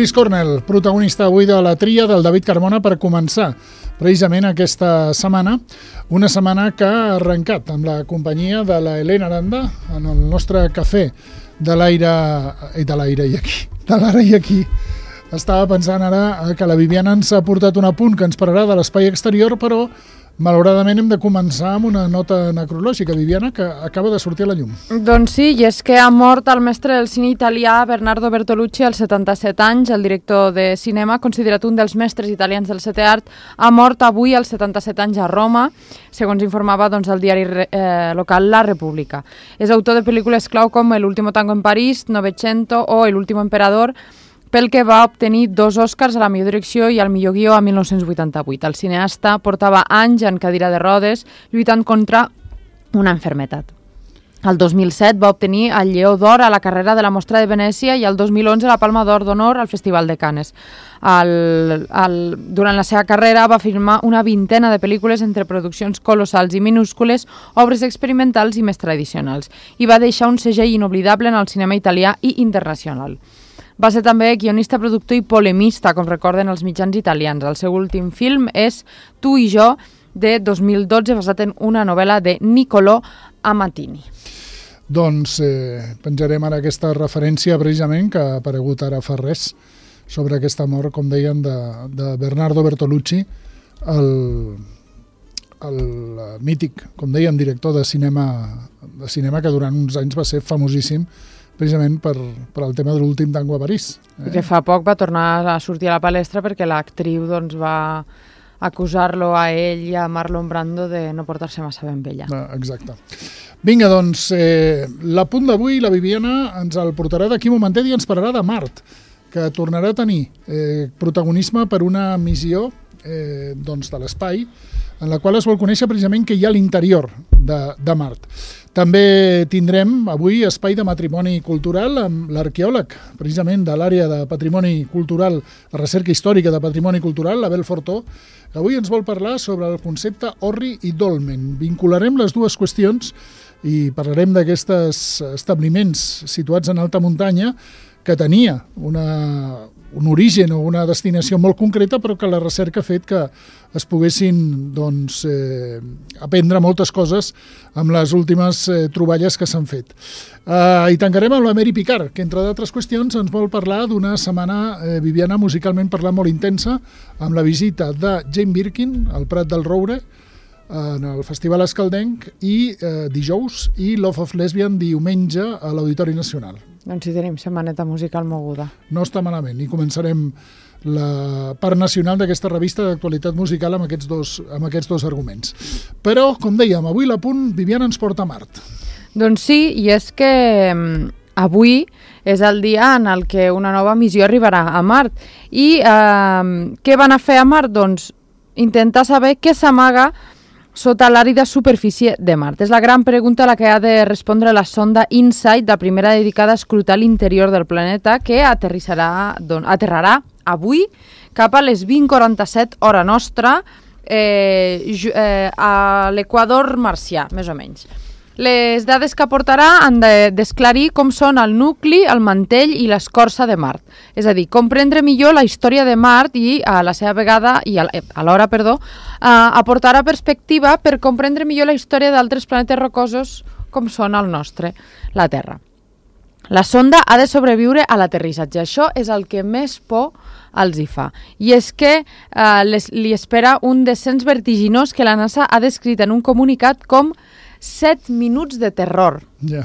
Chris Cornell, protagonista avui de la tria del David Carmona per començar precisament aquesta setmana, una setmana que ha arrencat amb la companyia de la Helena Aranda en el nostre cafè de l'Aire i aquí. Estava pensant ara que la Viviana ens ha portat un apunt que ens pararà de l'espai exterior, però malauradament hem de començar amb una nota necrològica, Viviana, que acaba de sortir a la llum. Doncs sí, i és que ha mort el mestre del cine italià Bernardo Bertolucci als 77 anys. El director de cinema, considerat un dels mestres italians del setè art, ha mort avui als 77 anys a Roma, segons informava el diari local La República. És autor de pel·lícules clau com El último tango en París, Novecento o El último emperador, pel que va obtenir 2 Oscars a la millor direcció i al millor guió a 1988. El cineasta portava anys en cadira de rodes lluitant contra una enfermetat. El 2007 va obtenir el Lleó d'Or a la carrera de la Mostra de Venècia i el 2011 la Palma d'Or d'Honor al Festival de Cannes. Durant la seva carrera va filmar una vintena de pel·lícules entre produccions colossals i minúscules, obres experimentals i més tradicionals, i va deixar un segell inoblidable en el cinema italià i internacional. Va ser també guionista, productor i polemista, com recorden els mitjans italians. El seu últim film és Tu i jo, de 2012, basat en una novel·la de Niccolò Amatini. Doncs penjarem ara aquesta referència precisament que ha aparegut ara fa res sobre aquesta mort, com deien, de Bernardo Bertolucci, el mític, com dèiem, director de cinema que durant uns anys va ser famosíssim precisament per el tema de l'últim tango a París. Que fa poc va tornar a sortir a la palestra perquè l'actriu va acusar-lo a ell i a Marlon Brando de no portar-se massa ben vella. Exacte. Vinga, doncs, l'apunt d'avui, la Viviana ens el portarà d'aquí un momentet i ens parlarà de Mart, que tornarà a tenir protagonisme per una missió de l'espai, en la qual es vol conèixer precisament què hi ha a l'interior de Mart. També tindrem avui espai de matrimoni cultural amb l'arqueòleg, precisament de l'àrea de patrimoni cultural, la recerca històrica de patrimoni cultural, l'Abel Fortó, que avui ens vol parlar sobre el concepte orri i dolmen. Vincularem les dues qüestions i parlarem d'aquests establiments situats en alta muntanya que tenia un origen o una destinació molt concreta, però que la recerca ha fet que es poguessin aprendre moltes coses amb les últimes troballes que s'han fet. I tancarem amb la Mary Picard, que entre d'altres qüestions ens vol parlar d'una setmana, Viviana, musicalment parlant molt intensa, amb la visita de Jane Birkin al Prat del Roure, en el Festival Escaldenc, i dijous, i Love of Lesbian diumenge a l'Auditori Nacional. Doncs sí, tenim setmaneta musical moguda. No està malament, i començarem la part nacional d'aquesta revista d'actualitat musical amb aquests dos arguments. Però, com dèiem, avui l'apunt Viviana ens porta a Mart. Doncs sí, i és que avui és el dia en el que una nova missió arribarà a Mart. I què van a fer a Mart? Doncs intentar saber què s'amaga sota l'àrida superfície de Mart. És la gran pregunta a la que ha de respondre la sonda InSight, la primera dedicada a escrutar l'interior del planeta, que aterrarà avui cap a les 20:47 hora nostra a l'equador marcià, més o menys. Les dades que aportarà han d'esclarir com són el nucli, el mantell i l'escorça de Mart. És a dir, comprendre millor la història de Mart i a la seva vegada, aportarà perspectiva per comprendre millor la història d'altres planetes rocosos com són el nostre, la Terra. La sonda ha de sobreviure a l'aterrissatge. Això és el que més por els hi fa. I és que li espera un descens vertiginós que la NASA ha descrit en un comunicat com 7 minuts de terror. Yeah.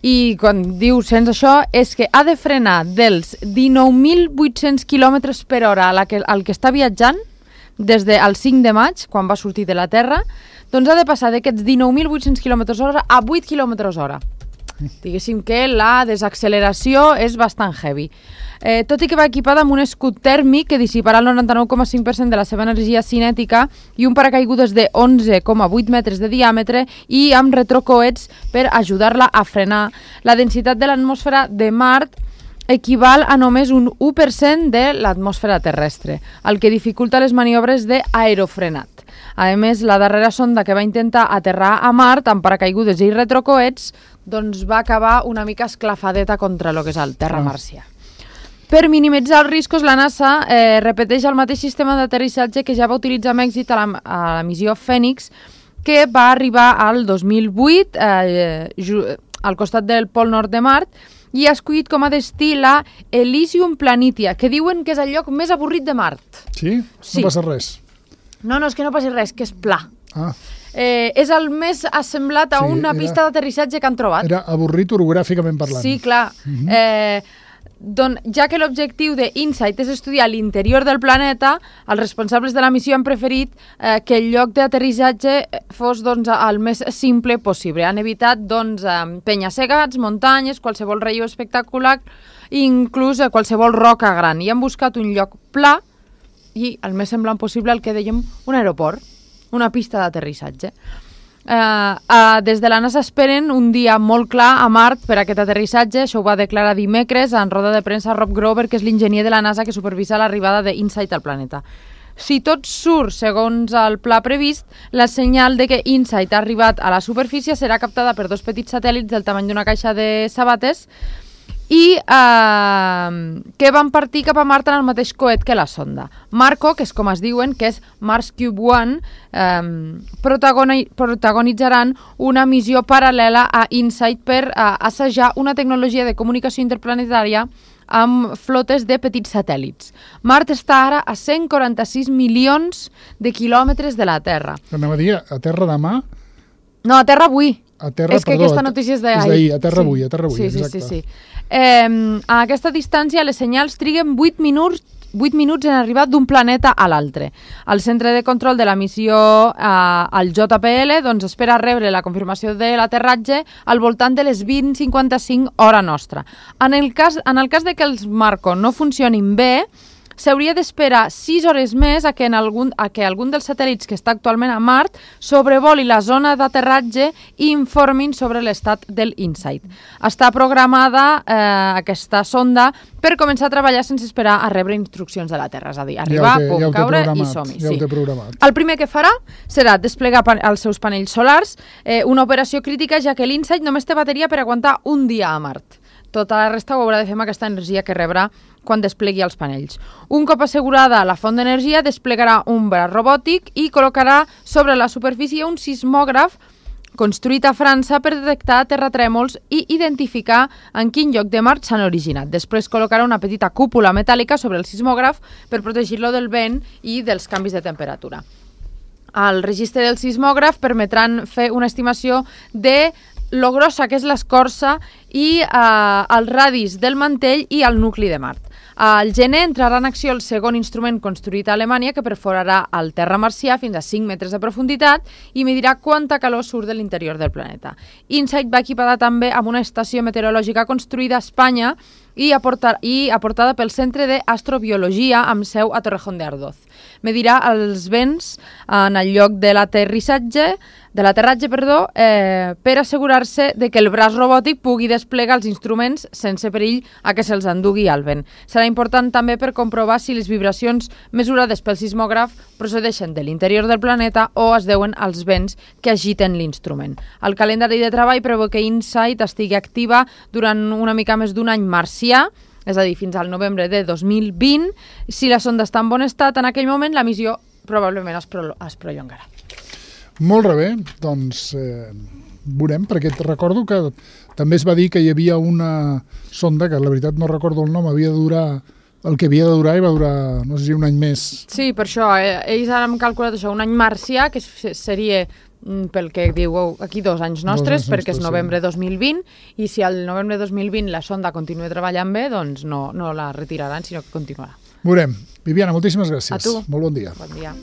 I quan diu sens això és que ha de frenar dels 19.800 km per hora al que està viatjant des del 5 de maig, quan va sortir de la Terra, doncs ha de passar d'aquests 19.800 km hora a 8 km hora. Diguéssim que la desacceleració és bastant heavy. Tot i que va equipada amb un escut tèrmic que dissiparà el 99,5% de la seva energia cinètica i un paracaigudes de 11,8 metres de diàmetre i amb retrocoets per ajudar-la a frenar. La densitat de l'atmosfera de Mart equival a només un 1% de l'atmosfera terrestre, el que dificulta les maniobres d'aerofrenat. A més, la darrera sonda que va intentar aterrar a Mart amb paracaigudes i retrocoets doncs va acabar una mica esclafadeta contra el que és el terra marcià. Per minimitzar els riscos, la NASA repeteix el mateix sistema d'aterrissatge que ja va utilitzar amb èxit a la missió Fènix, que va arribar al 2008 al costat del Pol Nord de Mart, i ha escollit com a destí la Elysium Planitia, que diuen que és el lloc més avorrit de Mart. Sí? Sí. No passa res. No, és que no passi res, que és pla. Ah. És el més assemblat a una pista d'aterrissatge que han trobat. Era avorrit orogràficament parlant. Sí, clar. Ja que l'objectiu d'InSight és estudiar l'interior del planeta, els responsables de la missió han preferit que el lloc d'aterrissatge fos el més simple possible. Han evitat penya-segats, muntanyes, qualsevol relleu espectacular, inclús qualsevol roca gran. I han buscat un lloc pla i el més semblant possible al que dèiem un aeroport, una pista d'aterrissatge. Des de la NASA esperen un dia molt clar a Mart per aquest aterrissatge. Això ho va declarar dimecres en roda de premsa Rob Grover, que és l'enginyer de la NASA que supervisa l'arribada d'InSight al planeta. Si tot surt segons el pla previst, la senyal de que InSight ha arribat a la superfície serà captada per 2 petits satèl·lits del tamany d'una caixa de sabates i que van partir cap a Mart en el mateix coet que la sonda. Marco, que és com es diuen, que és Mars Cube One, protagonitzaran una missió paral·lela a InSight per assajar una tecnologia de comunicació interplanetària amb flotes de petits satèl·lits. Mart està ara a 146 milions de quilòmetres de la Terra. Anava a dir, a terra demà? No, a Terra avui. A terra, és que aquesta notícia és d'ahir. És d'ahir, a terra avui, exacte. Sí. A aquesta distància les senyals triguen 8 minuts en arribar d'un planeta a l'altre. El centre de control de la missió al JPL espera rebre la confirmació de l'aterratge al voltant de les 20:55 hora nostra. En el cas de que els Marco no funcionin bé, s'hauria d'esperar 6 hores més a que algun dels satèl·lits que està actualment a Mart sobrevoli la zona d'aterratge i informin sobre l'estat del InSight. Està programada aquesta sonda per començar a treballar sense esperar a rebre instruccions de la Terra, és a dir, arribar, caure i som-hi. Ja ho té programat. El primer que farà serà desplegar els seus panells solars, una operació crítica ja que l'InSight només té bateria per aguantar un dia a Mart. Tota la resta ho haurà de fer amb aquesta energia que rebrà quan desplegui els panells. Un cop assegurada la font d'energia, desplegarà un braç robòtic i col·locarà sobre la superfície un sismògraf construït a França per detectar terratrèmols i identificar en quin lloc de Mart s'han originat. Després col·locarà una petita cúpula metàl·lica sobre el sismògraf per protegir-lo del vent i dels canvis de temperatura. El registre del sismògraf permetran fer una estimació de lo grossa que és l'escorça i els radis del mantell i el nucli de Mart. Al gener entrarà en acció el segon instrument construït a Alemanya que perforarà el terra marcià fins a 5 metres de profunditat i medirà quanta calor surt de l'interior del planeta. InSight va equipada també amb una estació meteorològica construïda a Espanya i aportada pel Centre d'Astrobiologia amb seu a Torrejón de Ardoz. Medirà els vents en el lloc de l'aterratge per assegurar-se de que el braç robòtic pugui desplegar els instruments sense perill a que se'ls endugui al vent. Serà important també per comprovar si les vibracions mesurades pel sismògraf procedeixen de l'interior del planeta o es deuen als vents que agiten l'instrument. El calendari de treball preveu que InSight estigui activa durant una mica més d'un any marcià, és a dir, fins al novembre de 2020. Si la sonda està en bon estat, en aquell moment la missió probablement es prolongarà. Molt bé, doncs veurem, perquè recordo que també es va dir que hi havia una sonda, que la veritat no recordo el nom, havia de durar el que havia de durar i va durar, no sé si un any més. Sí, per això, ells ara han calculat això, un any marcià, que seria pel que diu aquí 2 anys nostres, perquè és novembre 2020, i si al novembre 2020 la sonda continua treballant bé, doncs no la retiraran, sinó que continuarà. Veurem. Viviana, moltíssimes gràcies. A tu. Molt bon dia. Bon dia.